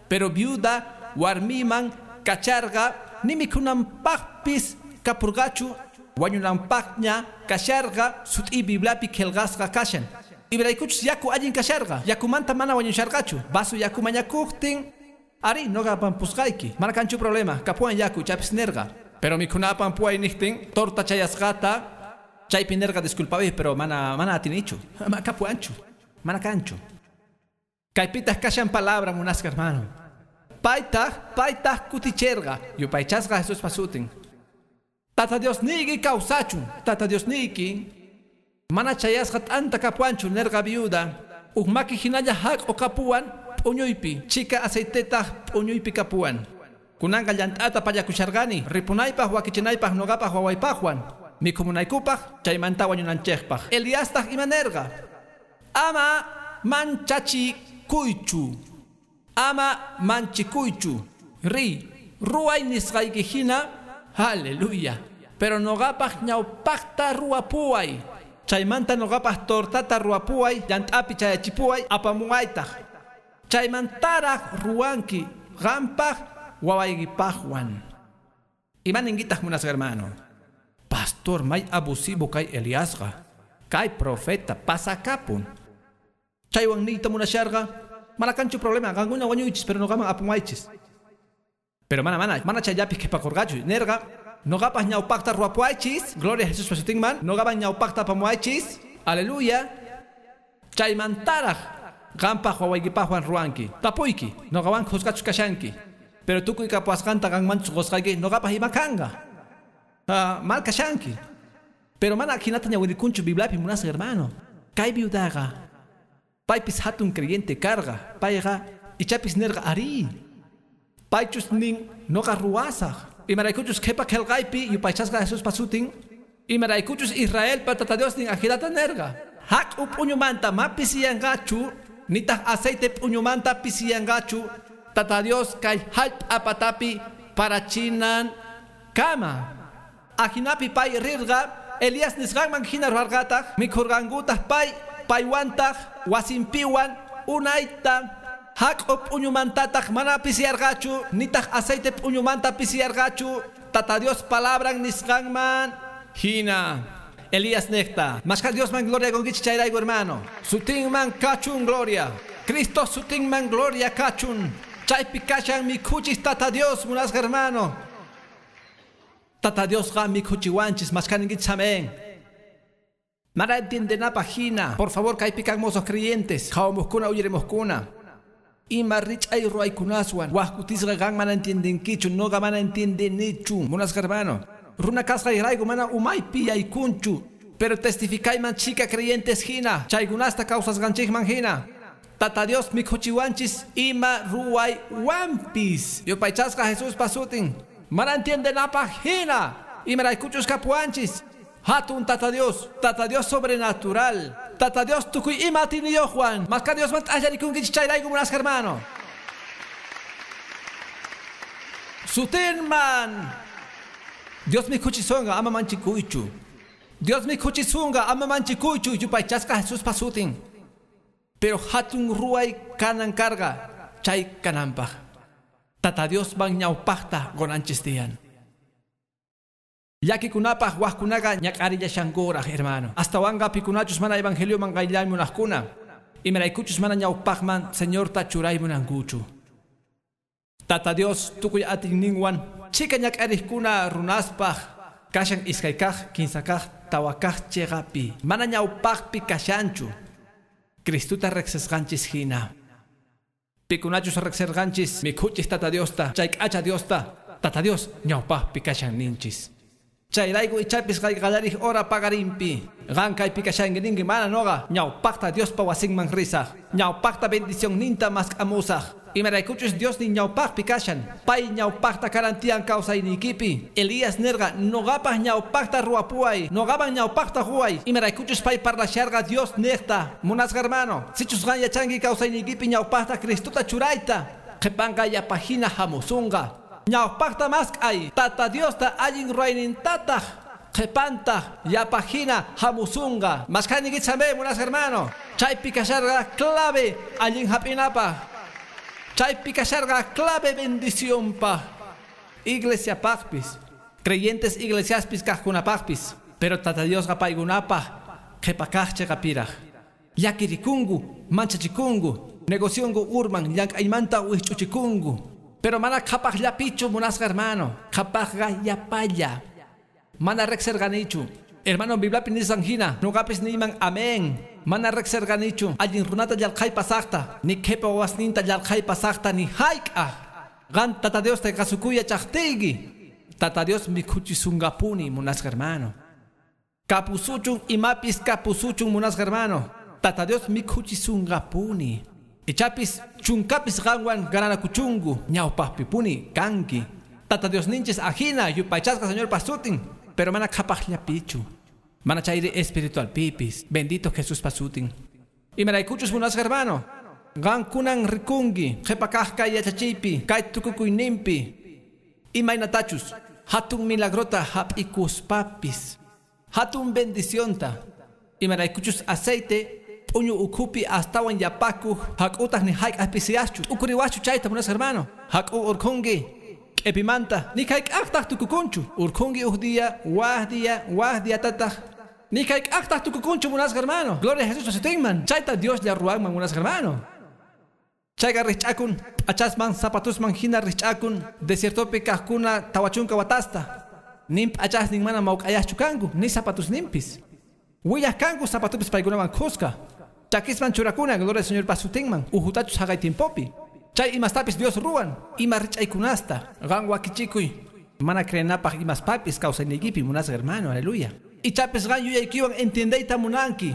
pero viuda warmiman kacharqa ni mikhunanpaqpis kapurqachu, wañunanpaqña kasharqa sut'i Bibliapi qillqasqa kashan. Imaraykuchus yaku allin kasharqa, yakumanta mana wañusharqachu. Vaso yaku mañakuqtin, ari noqa pampusqayki, mana kanchu problema, kapuwan yaku chapis nirqa. Pero mikhunapan puay niqtin, torta chayasqata, chaypi nirqa disculpaway, pero mana mana atinichu, mana kapuwanchu, mana kanchu. Kaypitaq kashan palabra munasqa hermano. Paytaq, paytaq kuticherqa, yupaychasqa Jesuspa sutin. Tata Dios niyki kawsachun, Tata Dios niyki, mana chayasqa t'anta kapuwanchu nirqa viuda, uj maki hinalla haq'u kapuwan p'uñuypi, chika aceitetaq p'uñuypi kapuwan. Kunanqa llant'ata pallakusharqani, ripunaypaq wakichinaypaq noqapaq wawaypaqwan, mikhunaykupaq chaymanta wañunanchikpaq. Eliastaq imanerqa, ama manchachikuychu, ama manchikuychu, ri ruway nisqayki hina, aleluya. Pero noqapaq ñawpaqta ruwapuway, chaymanta noqapaq tortata ruwapuway, llant'api chayachipuway, apamuwaytaq. Chaymantaraq ruwanki qampaq wawaykipaqwan. Imaninkitaj munasqa hermano? Pastor may abusivo kay Eliasqa, kay profeta pasakapun. Chaywan niyta munasharqa, mana kanchu problema, qankuna wañuychis, pero noqaman apamuwaychis. Pero mana mana, mana chayllapi qhipakurqachu, nerqa, noqapaq ñawpaqta ruwapuwaychis, gloria a Jesús pasutinman, noqaman ñawpaqta apamuwaychis, aleluya. Chaymantaraq qampaq wawaykipaqwan ruwanki, tapuyki, noqawan khusqachus kashanki. Pero tukuy kapuwasqanta qanmanchus qusqayki, noqapaq ima kanqa. Ah, mal kashanki. Pero mana ajinata ñawirikunchu Bibliapi munasqa hermano. Kay viudaqa, paypis hatun creyente karqa, payqa ichapis nerqa ari. Paychus nin noqa ruwasaq. Imaraykuchus qhipa qillqaypi yupaychasqa Jesús pasutin, imaraykuchus Israelpa Tata Dios nin ajinata nerqa. Haq'u p'uñumanta ma pisiyanqachu, nitaq aceite p'uñumanta pisiyanqachu, Tata Dios kay hallp'a patapi parachinan kama. Ajinapi pay rirqa, Elías nisqanman hina ruwarqataq, mikhurqankutaq pay, paywantaq, wasinpiwan, unayta. Haq'u p'uñumantataq mana pisiyarqachu, nitaq aceite p'uñumanta pisiyarqachu, Tata Dios palabran nisqanman hina. Elías necta. Mashka Dios man gloria gongichi chayrayku hermano. Sutinman kachun gloria. Cristo sutinman gloria kachun. Chaypi kashan mikhuchis Tata Dios munasqa hermano. Tata Dios ga mikhuchiwanchis mashkaninkichis amén. Mana entiendenapaq hina. Por favor kaypi kan mozos creyentes. Qhawamuqkuna uyarimuqkuna. Ima rich'ay ruwaykunaswan wajkutisqa qan mana entiendenkichu, noqa mana entiendenichu munasqa hermano. Runa kasqayrayku mana umaypi yaykunchu, pero testificayman chika creyentes hina, chaykunasta kawsasqanchikman hina. Tata Dios mikhuchiwanchis ima ruwaywanpis. Yupaychasqa Jesús pasutin. Mana entiendenapaq hina, imaraykuchus kapuwanchis. Hatun Tata Dios, Tata Dios sobrenatural, Tata Dios tukuy ima atiniyuqwan. Mashka Dios man t'allarikunkichis chayrayku munasqa hermano. Sutinman. Dios mikhuchisonqa ama manchikuychu. Dios mikhuchisunqa ama manchikuychu yupaychasqa Jesús pasutin. Pero hatun ruway kanan karqa chay kananpaq. Tata Dios man ñawpaqta qunanchis tiyan. Llakikunapaq wajkunaqa ñak'arillashankuraq hermano. Astawanqa pikunachus mana evangelioman qayllaymunaqkuna, imaraykuchus mana ñawpaqman Señorta churaymunankuchu. Tata Dios tukuy atiyninwan chika ñak'ariqkuna runaspaq kashan iskaykaq, kinsakaq, tawakaq chiqapi. Mana ñawpaqpi kashanchu. Cristuta riqsisqanchis hina. Pikunachus riqsirqanchis mikhuchis Tata Diosta, chay k'acha Diosta, Tata Dios ñawpaqpi kashan ninchis. Chayrayku ichapis qayllarij hora pagarimpi. Qan kaypi kashanki ninki mana noqa ñawpaqta Diospa wasinman risaq. Ñawpaqta bendición ninta mask'amusaq. Imaraykuchus Dios nin ñawpaqpi kashan. Pay ñawpaqta karantiyan kawsaynikipi. Elías nerqa noqapaq ñawpaqta ruwapuway, noqaman ñawpaqta ruway. Imaraykuchus pay parlasharqa Dios niqta. Munasqa hermano, sichus qan yachanki kawsaynikipi ñawpaqta Cristuta churayta, qhipanqa yapahina hamusunqa. Ñawpaqta mask'ay, Tata Diosta allin ruwaynintataq, qhipantaq yapahina hamusunqa. Mashkanikichis amén, munasqa hermano. Chaypi kasharqa clave allin hap'inapaq. Chaypi kasharqa clave bendicionpaq. Iglesiapaqpis, creyentes iglesiaspis kaqkunapaqpis, pero Tata Diosqa paykunapaq qhipakaq chiqapiraq. Llakirikunku, manchachikunku, negocionku urman, llank'aymanta wijch'uchikunku. Pero mana qhapaqllapichu munasqa hermano, qhapaqqa yapalla. Mana riqsirqanichu. Hermano, Bibliapi nisqan hina, nuqapis niyman amén. Mana riqsirqanichu allin runata llarqhay pasaqta, ni qhipa wawasninta llarqhay pasaqta, ni hayk'aq. Qan Tata Diosta kasukuy yachaqtiyki. Tata Dios mikhuchisunqapuni munasqa hermano. Kapusuchun imapis kapusuchun munasqa hermano. Tata Dios mikhuchisunqapuni. Ichapis chunkapis qanwan gananakuchunku ñawpaqpi puni kanki. Tata Dios ninchis ajina yupaychasqa Señor pasutin, pero mana qhapaqllapichu. Mana chayri espiritual pipis. Bendito Jesús pasutin. Imaraykuchus munasqa hermano. Qankunan rikunki qhipa kaq kay yachachiypi kay tukukuyninpi. Imaynatachus hatun milagrota hap'ikuspapis. Hatun bendicionta. Imaraykuchus aceite p'uñu ukhupi astawan yapakuq hak'utaq ni hayk'aq pisiyaschu. Ukuriwaschu chayta munasqa hermano. Hak'u urkhunki k'epimanta ni hayk'aqtaq tukukunchu. Urkhunki uj día, waj día, waj diatataq. Ni hayk'aqtaq tukukunchu munasqa hermano. Gloria a Jesús sutinman. Chayta Dios lla ruwanman munasqa hermano. Chayqa rich'akun p'achasman zapatusman hina rich'akun desiertopi kaqkuna tawachunka watasta. Nin p'achasnin mana mawk'ayaschu kanku ni zapatusninpis. Willaq kanku zapatupis paykunawan khuska. Chakisman churakuna gloria al Señor pasutinman uhutachus haqay tiempopi. Chay imastapis Dios ruwan ima rich'aykunasta qan wakichikuy mana creenapaq imaspapis kawsayniykipi munasqa hermano, aleluya. Ichapis qan yuyaykiwan entiendeyta munanki.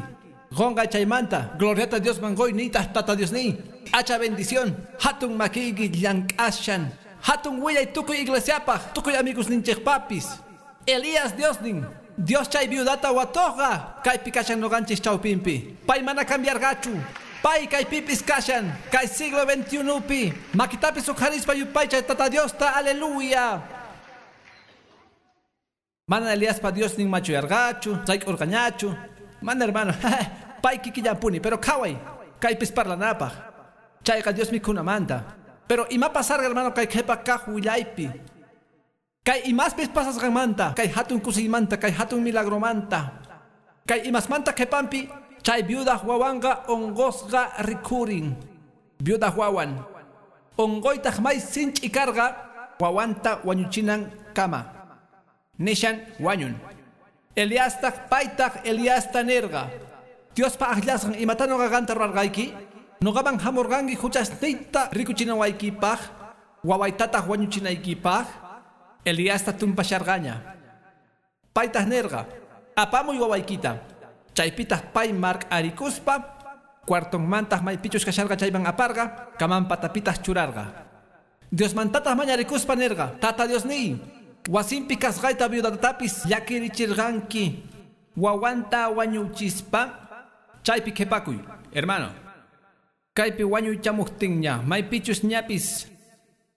Qonqa chaymanta gloriata Dios mangoy nitaq tata Dios ni. Hacha bendición hatun makiyki llank'ashan hatun willay tukuy iglesiapaq tukuy amigos ninchikpapis. Elías Dios nin Dios chay viudata watoqa kaypi kashan noqanchis chawpinpi. Pay mana cambiarqachu. Pay kaypipis kashan kay siglo veintiunopi. Makitapis uqharispa yupaychay tata Diosta, aleluya. Mana Eliaspa Dios nin machuyarqachu, sayk'urqañachu. Mana hermano, pay kikillampuni, pero qhaway kaypis parlanapaq. Chayqa Dios mikhunamanta. Pero ima pasarqa hermano kay qhipa kaq willaypi. Kay imaspis pasasqanmanta, kay hatun kusiymanta, kay hatun milagromanta. Kay imasmanta qhipanpi chay viudaq wawanqa unqusqa rikhurin. Viudaq wawan unquytaq may sinch'i karqa wawanta wañuchinan kama. Nishan wañun. Eliastaq paytaq Eliasta nirqa. Diospa aqllasqan imata nuqa qanta ruwarqayki? Nuqaman hamurqanki huchasniyta rikuchinawaykipaq, wawaytataq wañuchinaykipaq. Eliasta tumpasharqaña. Paytaq nirqa, apamuy wawaykita. Chaypitaq pay mark'arikuspa cuartonmantaq maypichus kasharqa chayman aparqa, kaman patapitaq churarqa. Diosmantataq mañarikuspa nirqa, Tata Diosniy, wasinpi kasqayta viudatatapis llakirichirqanki wawanta wañuchispa chaypi qhipakuy. Hermano, kaypi wañuychamuqtinña maypichus ñapis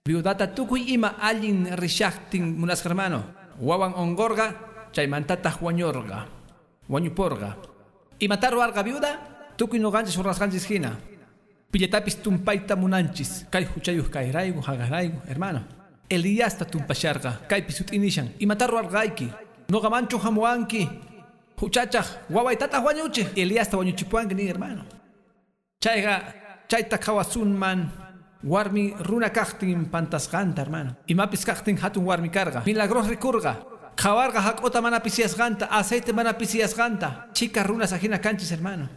viudata tukuy ima allin rishaqtin munasqa hermano. Wawan unqurqa chaymantataq wañurqa, wañuporqa. Imata ruwarqa viuda? Tukuy nuqanchis ruwasqanchis hina. Pillatapis tumpayta munanchis kay huchayuq kayrayku haqarayku hermano. Eliasta tumpasharqa kaypi sut'inishan. Imata ruwarqayki? Nuqamanchu hamuwanki huchachaq wawaytataq wañuchiq. Eliasta wañuchipuwanki nin hermano. Chayqa chayta qhawasunman warmi runa kaqtin pantasqanta hermano. Imapis kaqtin hatun warmi karqa. Milagros rikurqa. Qhawarqa hak'uta mana pisiyasqanta, aceite mana pisiyasqanta. Chika runas ajina kanchis hermano.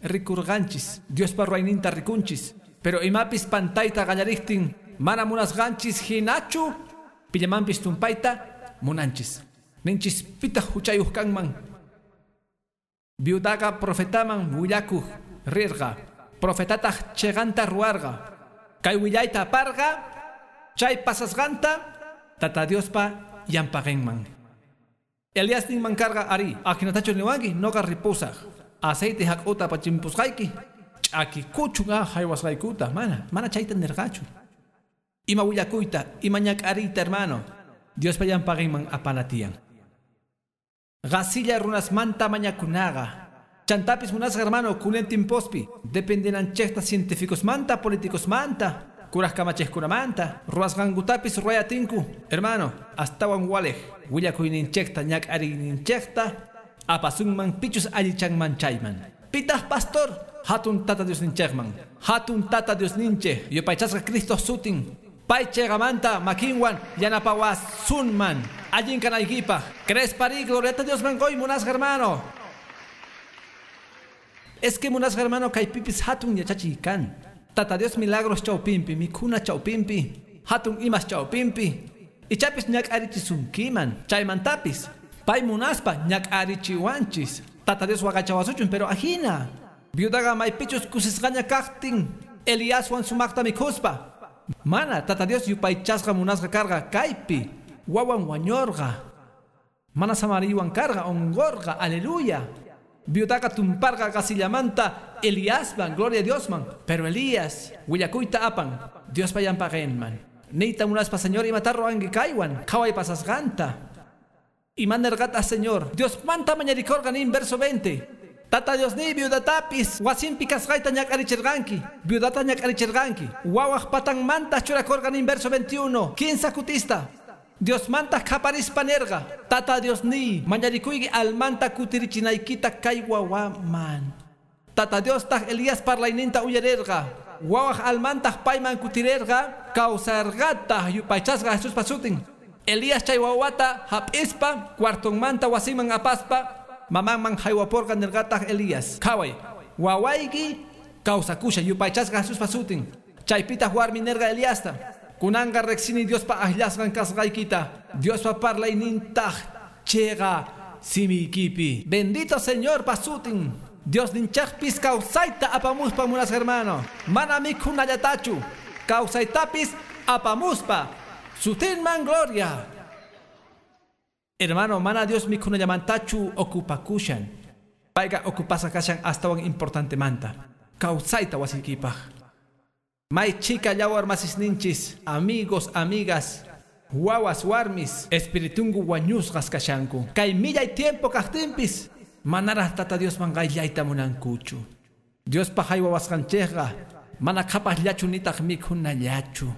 Rikurqanchis, Diospa ruwayninta rikunchis. Pero imapis pantayta qallariqtin mana munasqanchis hinachu pillamanpis tumpayta munanchis. Ninchis pitaq huchayuq kanman. Viudaqa profetaman willakuq rirqa. Profetataq chiqanta ruwarqa. Kay willayta aparqa chay pasasqanta Tata Diospa llampaqinman. Elías ninman karqa ari, ajinatachu niwanki noqa ripusaq. Aceite hak'uta pachimpusqayki ch'akikuchun a haywasqaykuta. Mana, mana chayta nirqachu. Ima willakuyta, ima ñak'ariyta hermano, Diospa llampaqinman apanatiyan. Qasilla runasmanta mañakunaqa. Chantapis munasqa hermano kunan timpospi dependenanchikta científicosmanta, políticosmanta, kuraj kamachejkunamanta, ruwasqankutapis ruwayatinku. Hermano, astawan walej willakuyninchikta ñak'ariyninchikta apasunman pichus allichanman chayman. Pitaq pastor hatun tata Diosninchikman, hatun tata Diosninchik yupaychasqa Cristo sutin. Pay chiqamanta makinwan yanapawasunman allin kanaykipaq. Crespari gloriata Diosman qoy munasqa hermano. Es que munasqa hermano kaypipis hatun yachachiy kan. Tata Dios milagros chawpinpi, mikhuna chawpinpi, hatun imas chawpinpi. Ichapis ñak'arichisunkiman, chaymantapis pay munaspa ñak'arichiwanchis. Tata Dios waqachawasuchun, pero ajina. Viudaqa maypichus kusisqaña kaqtin Eliaswan sumaqta mikhuspa. Mana Tata Dios yupaychasqa munasqa karqa kaypi wawan wañurqa. Mana samariwan karqa unqurqa, aleluya. Viudaqa tumparqa qasillamanta Eliasman, gloria a Diosman. Pero Elías willakuyta apan Diospa llampaqinman. Niyta munaspa Señor imata ruwanki kaywan qhaway pasasqanta. Imanerqata Señor Diosmanta mañarikurqa nin verso veinte. Tata Dios ni viudatapis wasinpi kasqayta ñak'arichirqanki, viudata ñak'arichirqanki. Wawaq patanmanta churakurqa nin verso veintiuno. Kinsa kutista. Diosmanta qhaparispa nerqa, Tata Dios ni mañarikuyki almanta kutirichinaykita kay wawaman. Tata Diostaq Elías parlayninta uyarirqa. Wawaq almantaq payman kutirerqa, kawsarqataq yupaychasqa Jesuspa sutin. Elías chay wawata hap'ispa cuartonmanta wasiman apaspa mamanman haywaporqa nerqataq Elías. Qhaway, wawayki kawsakusha yupaychasqa Jesuspa sutin. Chaypitaq warmi nerqa Eliasta. Kunanqa riqsini Diospa akllasqan kasqaykita. Diospa parlaynintaq chiqa simiykipi. Bendito Señor pa sutin. Dios ninchaqpis kawsayta apamuspa munasqa hermano. Mana mikhunallatachu. Kawsaytapis apamuspa. Sutinman gloria. Hermano, mana Dios mikhunallamantachu ocupakushan. Payqa ocupasqa kashan astawan importantemanta. Kawsayta wasiykipaq. May chica yawar masisninchis, amigos, amigas, wawas warmis, espiritungu wañusqas kashanku. Kay millay tiempo kaqtinpis, manaraq Tata Diosman qayllayta munankuchu. Diospa haywawasqanchikqa, mana qhapaqllachu nitaq mikhunallachu.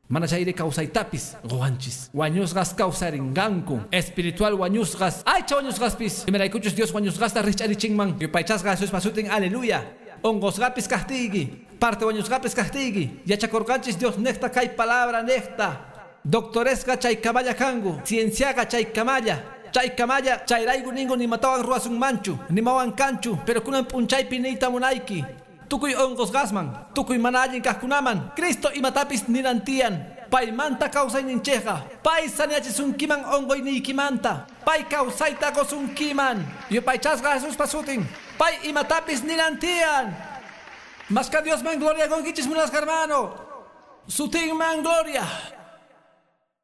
Mana chayri kawsaytapis quwanchis. Wañusqas kawsarinqanku. Espiritual wañusqas, aycha wañusqaspis. Imaraykuchus Dios wañusqasta rich'arichinman. Yupaychasqa Jesuspa sutin, aleluya. Unqusqapis kaqtiyki, parte wañusqapis kaqtiyki. Yachakurqanchis Dios niqta kay palabra niqta. Doctoresqa chay kamalla kanku, cienciaqa chay kamalla. Chay kamalla, chayrayku ninku nimatawan ruwasunmanchu, nimawan kanchu, pero kunan p'unchaypi niyta munayki. Tukuy unqusqasman, tukuy mana allin kaqkunaman, Cristo imatapis ninantiyan. Paymanta kawsayninchikqa, pay sanachisunkiman unquyniykimanta, pay kawsayta qusunkiman. Yupaychasqa Jesuspa sutin, pay imatapis ninantiyan. Masqa Diosman gloria qunkichis munasqa hermano. Sutinman gloria.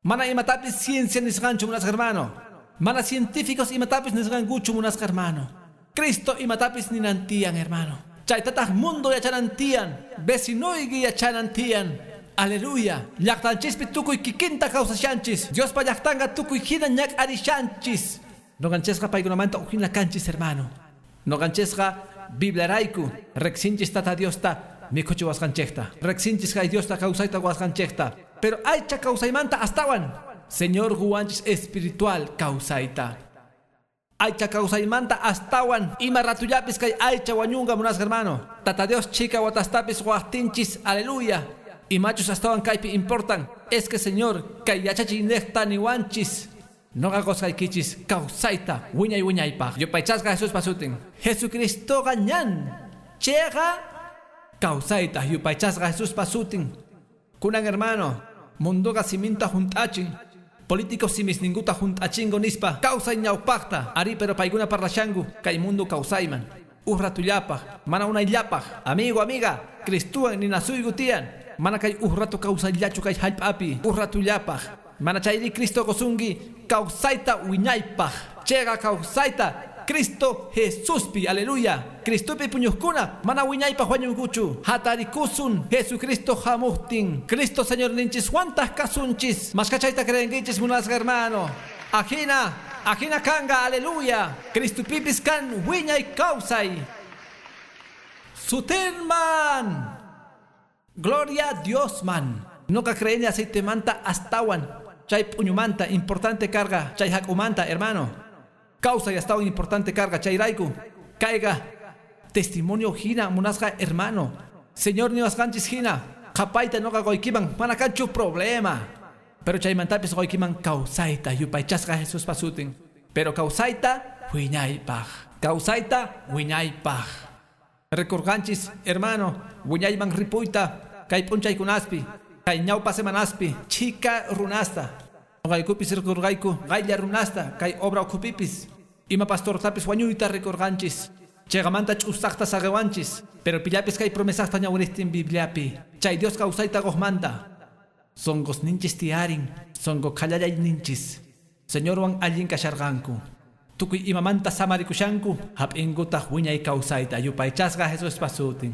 Mana imatapis ciencia nisqanchu munasqa hermano. Mana científicos imatapis nisqankuchu munasqa hermano. Cristo imatapis ninantiyan hermano. Chaytataq mundo yachanantiyan, vecinuyki yachanantiyan. Aleluya. Llaqtanchispi tukuy kikinta kawsashanchis. Diospa llaqtanqa tukuy hina ñak'arishanchis. Noqanchisqa paykunamanta ukhina kanchis hermano. Noqanchisqa Bibliarayku riqsinchis Tata Diosta mikhuchiwasqanchikta. Riqsinchis kay Diosta kawsayta quwasqanchikta. Pero aycha kawsaymanta astawan Señor quwanchis espiritual kawsayta. Aycha kawsaymanta astawan ima ratullapis kay aycha wañunqa munasqa hermano. Tata Dios chika watastapis waqtinchis, aleluya. Imachus astawan kaypi importan es que Señor kay yachachiynejta niwanchis. Noqa qusqaykichis kawsayta wiñay wiñaypaq. Yupaychasqa Jesuspa sutin. Jesucristoqa ñan chiqa kawsayta yupaychasqa Jesuspa sutin. Kunan hermano, munduqa siminta junt'achin. Políticos simisninguta junt'achingo nispa kawsay ñawpaqta. Ari pero paykuna parlashanku kay mundo kawsayman. Uj ratullapaq, mana unayllapaq. Amigo, amiga, Cristuwan ninasuyku tiyan. Mana kay uj rato kawsayllachu kay hallp'api. Uj ratullapaq. Mana chayri Cristo qusunki kawsayta wiñaypaq. Chiqa kawsayta Cristo Jesuspi, aleluya. Cristopi puñuqkuna mana wiñaypaq wañunkuchu. Hatarikusun Jesucristo hamuqtin. Cristo Señor ninchiswantaq kasunchis. Mashkachayta creenkichis munasqa hermano. Ajina, ajina kanga, aleluya. Cristopipis kan wiñay kawsay. Sutinman. Gloria a Dios man. Noqa creeni aceite manta astawan. Chay p'uñumanta importante karqa, chay hak'umanta hermano. Kawsay astawan importante karqa chayrayku. Kayqa testimonio hina munasqa hermano. Señor niwasqanchis hina. Qhapayta noqa quykiman mana kanchu problema. Pero chaymantapis quykiman kawsayta yupaychasqa Jesuspa sutin. Pero kawsayta wiñaypaq. Kawsayta wiñaypaq. Rikurqanchis hermano, wiñayman ripuyta kay p'unchaykunaspi, kay ñawpa semanaspi, chika runasta. Noqaykupis rikurqayku qaylla runasta kay obra ukhupipis. Ima pastortapis wañuyta rikurqanchis. Chegamanta ch'usaqta saqewanchis, pero pillapis kay promesaqta ñawiristin Bibliapi. Chay Dios kawsayta qojmanta. Songos ninchis tiarin, songo khallalay ninchis. Señorwan allin kasharqanku. Tukuy imamanta samarikushanku, hap'inkutaq wiñay kawsayta yupaychasqa Jesuspa sutin.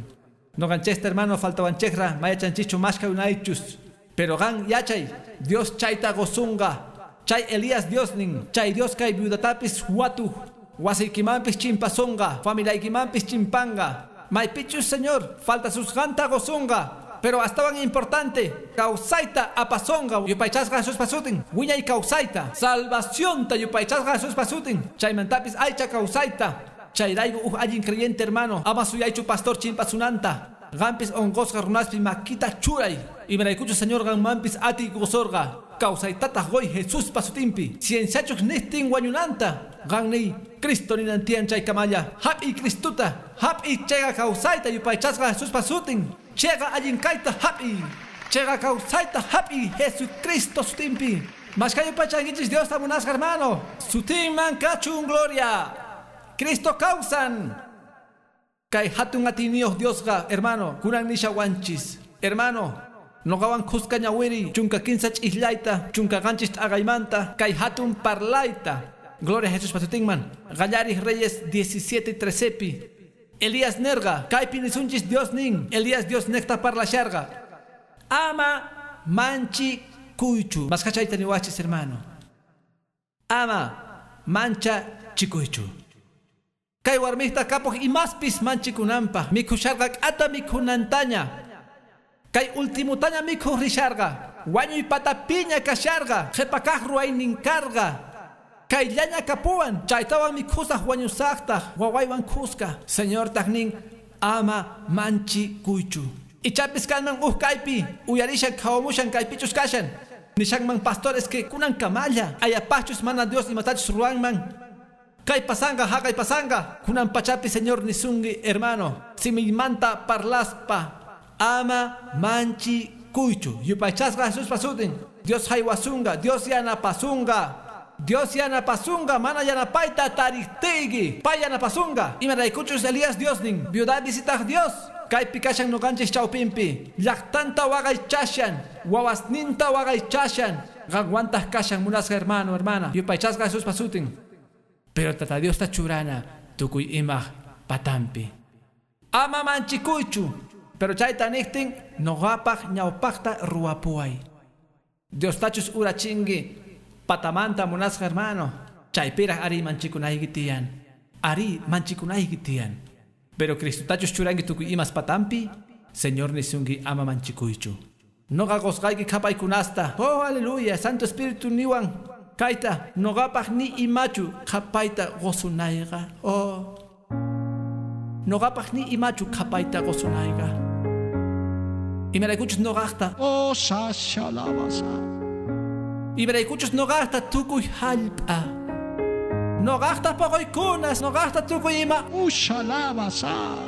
Noqanchista hermano faltawanchikra mayachanchichu mashka unaychus. Pero qan yachay, Dios chayta qosunqa. Chay Elías Dios nin, chay Dios kay viudatapis watu. Wasiykimanpis chimpasunqa, familiaykimanpis chimpanqa. Maypichus Señor, falta susqanta qosunqa. Pero astawan importante, kawsayta apasonga, yupaychasqa Jesuspa sutin, wiñay kawsayta, salvacionta yupaychasqa Jesuspa sutin, chaymantapis aycha kawsayta. Chayrayku uj allin creyente hermano, ama suyaychu pastor chimpasunanta. Gampis onqosqa runaspi makita churay. Imaraykuchu Señor ganmanpis atiy qosorqa. Kawsaytataq qoy Jesuspa sutinpi. Cienciachuk nistin wañunanta. Ganni Cristo ninantian chay kamalla. Hap'i Cristuta, hap'i chayqa kawsayta yupaychasqa Jesuspa sutin. Chega allin kayta hap'i. Chega kawsayta hap'i Jesucristo sutinpi. Mashka yupaychankichis Diosta munasqa hermano. Sutinman kachun gloria. Cristo kawsan. Kay hatun atiyniyuq Diosqa hermano, kunan nishawanchis. Hermano, noqawan khuska ñawiri, chunka kinsa ch'islayta, chunka qanchis t'aqaymanta, kay hatun parlayta. Gloria a Jesús pasutinman. Qallarij Reyes diecisiete trecepi. Elías nerga, kaypi nisunchis Dios nin. Elías Dios nekta parlasharqa. Ama manchi kuychu. Maskachayta niwachis hermano. Ama mancha chikuychu. Kay warmista kapuj imaspis manchikunanpaj mikhusharqa k'ata mikhunantaña. Kay ultimutaña mikhuj risharqa. Wañuy patapiña kasharqa. Qhipakaq ruwaynin karqa. Kayllaña kapuwan. Chaytawan mikhusaj wañusaqtaj wawaywan khuska. Señortaq nin ama manchikuychu. Ichapis kanman uj kaypi uyarishan qhawamushan kaypichus kashan. Nishanman pastores que kunan kamalla. Ayapachus mana Dios imatachus ruwanman. Kay pasanga, haqay pasanga. Kunan pachapi Señor nisungi hermano. Simimanta parlaspa. Ama manchi kuychu. Yupaychasqa Jesuspa sutin. Dios haywasunga, Dios yanapasunga. Dios yanapasunga, mana yanapayta tariqtiyki. Pay yanapasunga. Imaraykuchus Elías Dios nin. Viuda visitaq Dios. Kaypi kashan noqanchis chawpinpi. Llaqtanta waqaychashan. Wawasninta waqaychashan. Qanwantaq kashan munasqa hermano, hermana. Yupaychasqa Jesuspa sutin. Pero tata Dios ta churana tukuy imaj patampi. Ama manchikuychu. Pero chayta niqtin noqapaq ñawpaqta ruwapuway. Dios tachus urachinki patamanta munasqa hermano. Chaypiraq ari manchikunayki tiyan. Ari manchikunayki tiyan. Pero Cristo tachus churanki tukuy imas patampi. Señor nisunki ama manchikuychu. Noqa qosqayki qhapaykunasta. Oh, aleluya. Santo Espíritu niwan. Kayta noqapaq ni imachu qhapayta qosunayqa. Oh. Noqapaq ni imachu qhapayta qosunayqa. Imaraykuchus noqaqta. Oh, sashalabasa. Imaraykuchus noqaqta tukuy hallp'a. Noqaqta poqoykunas, noqaqta tukuy ima. Ushalabasa.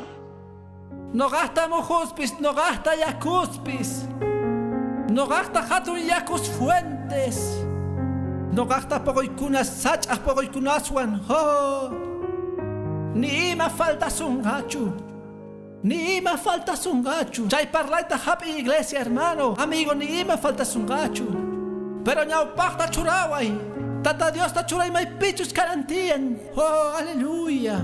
Noqaqta mujuspis, noqaqta yakuspis. Noqaqta hatun yakus fuentes. Noqaqta poqoykunas sach'aq poqoykunaswan. Oh. Ni ima faltasunqachu. Ni ima faltasunqachu. Chay parlayta hap'i iglesia hermano. Amigo, ni ima faltasunqachu. Pero ñawpaqta churaway. Tata Diosta churay maypichus karantiyan. Oh, aleluya.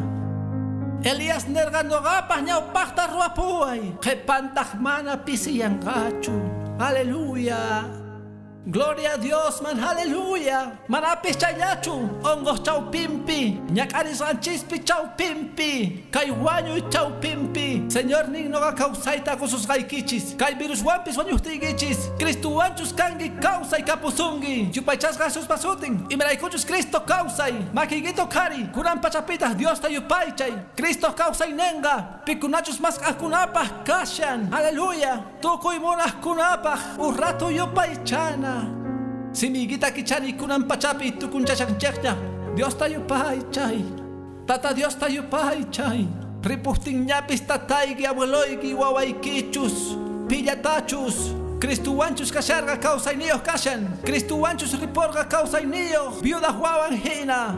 Elías nerqa noqapaq ñawpaqta ruwapuway. Qhipantaq mana pisiyanqachu. Aleluya. Gloria a Dios, man, aleluya. Manapis chayllachu, hongos chawpimpi, ñak'arisqanchispi chawpimpi, kay wañuy chawpimpi. Señor nin noqa kawsayta qususqaykichis, kay viruswanpis wañuqtiykichis, Cristuwanchus kanki kawsay kapusunki. Yupaychasqa Jesuspa sutin, imaraykuchus Cristo kawsay, makiykita qhari, kunan pachapitaq Diosta yupaychay. Cristo kawsaynenqa, pikunachus mask'aqkunapaq kashan. Aleluya. Tukuy munaqkunapaq urratu yupaychana. Simiguita kichani kunan pachapi tukunchashanchikña. Diosta yupaychay. Tata Diosta yupaychay. Ripustinñapis tatayki abueloyki wawaykichus. Pillatachus. Cristuwanchus kasharqa kawsayniyuq kashan. Cristuwanchus riporqa kawsayniyuq. Viuda wawan hina.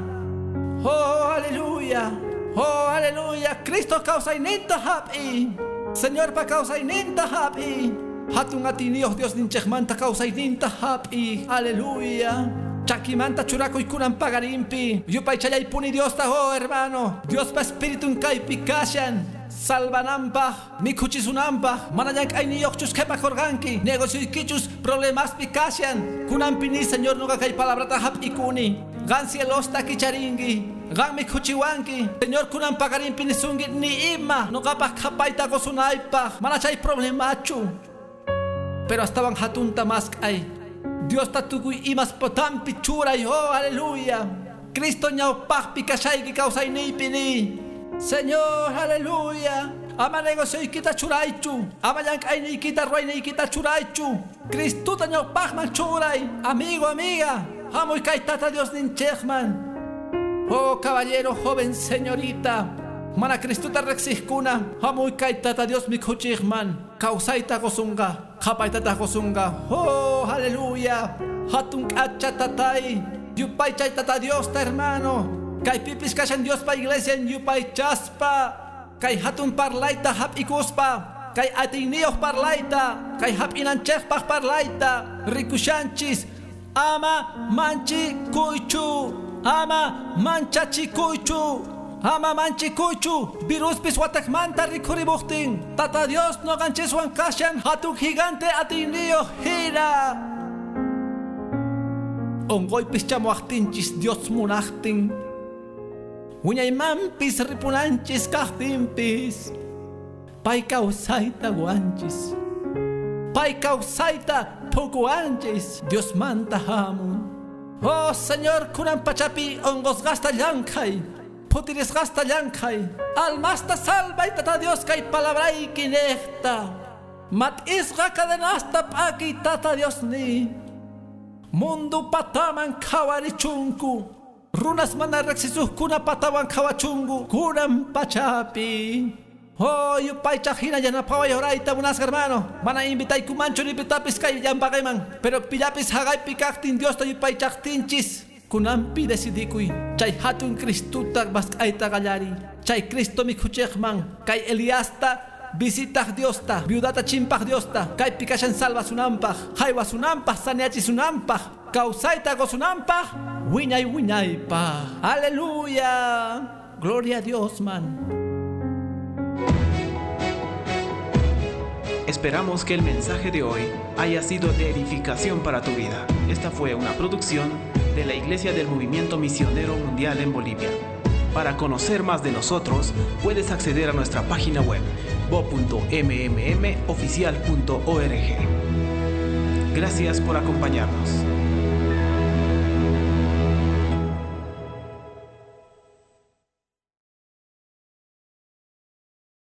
Oh, aleluya. Oh, aleluya, Cristo kawsayninta hap'i. Señorpa kawsayninta hap'i. Hatun atiniyuq Dios ninchikmanta kawsayninta hap'i. Aleluya. Chakimanta churakuy kunan pagarimpi. Yupaychallaypuni Diosta, oh hermano. Diospa espiritun kaypi kashan. Salvanampaj, mikhuchisunampaj, mana llank'ayniyuqchus qhipakurqanki, negocioykichus problemaspi kashan. Kunanpi ni Señor nuqa kay palabrata hap'ikuni. Qan cielosta kicharinki, qan mikhuchiwanki. Señor kunan pagarimpi nisunki ni ima nuqapaj qhapayta qusunaypaj, mana chay problemachu. Pero astawan hatunta mask'ay. Diosta tukuy imas potampi churay, oh aleluya. Cristo ñawpaqpi kashayki kawsayniypi ni. Señor, aleluya. Ama negocioykita churaychu. Ama llank'ayniykita ruwayniykita churaychu. Cristuta ñawpaqman churay. Amigo, amiga. Hamuy kay Tata Dios ninchikman. Oh, caballero, joven, señorita. Mana Cristuta riqsiqkuna. Hamuy kay Tata Dios mikhuchiqman. Kawsayta qusunqa. Qhapaytataq qusunqa. Oh, aleluya. Hatun k'acha tatay. Yupaychay Tata Diosta, hermano. Kaypipis kashan Diospa iglesia yupaychaspa. Kay hatun parlayta hap'ikuspa. Kay atiyniyuq parlayta. Kay hap'inanchikpaq parlayta. Rikushanchis. Ama manchikuychu. Ama manchachikuychu. Ama manchikuychu. Viruspis watakmanta rikhurimuqtin. Tata Dios nuqanchiswan kashan hatun gigante atiyniyuq hina. Unquypis chamuwaqtinchis Dios munaqtin. Wiñaymanpis ripunanchis kaqtinpis. Pay kawsayta wanchis. Pay kawsayta pukuwanchis. Diosmanta hamun. Oh Señor, kunan pachapi unqusqasta llank'ay. Phutirisqasta llank'ay. Almasta salvay Tata Dios kay palabrayki niqta. Mat'isqa cadenasta p'akiy Tata Dios ni. Mundu pataman qhawarichunku. Runas mana riqsisuqkuna patawan qhawachunku kunan pachapi. Oh, yupaychaq hina yanapaway orayta munasqa hermano. Mana invitaykumanchu ni pitapis kay llampaqayman. Pero pillapis haqaypi kaqtin Diosta yupaychaqtinchis. Kunanpi decidikuy. Chay hatun Cristuta mask'ayta qallariy. Chay Cristo mikhuchiqman. Kay Eliasta visitaq Diosta, viudata chimpaq Diosta. Kaypi kashan salvasunanpaq, haywasunanpaq, saneachisunanpaq, kawsayta qusunanpaq. Wiñay wiñaypa. Aleluya. Gloria a Dios, man. Esperamos que el mensaje de hoy haya sido de edificación para tu vida. Esta fue una producción de la Iglesia del Movimiento Misionero Mundial en Bolivia. Para conocer más de nosotros, puedes acceder a nuestra página web bo punto m m m oficial punto org. Gracias por acompañarnos.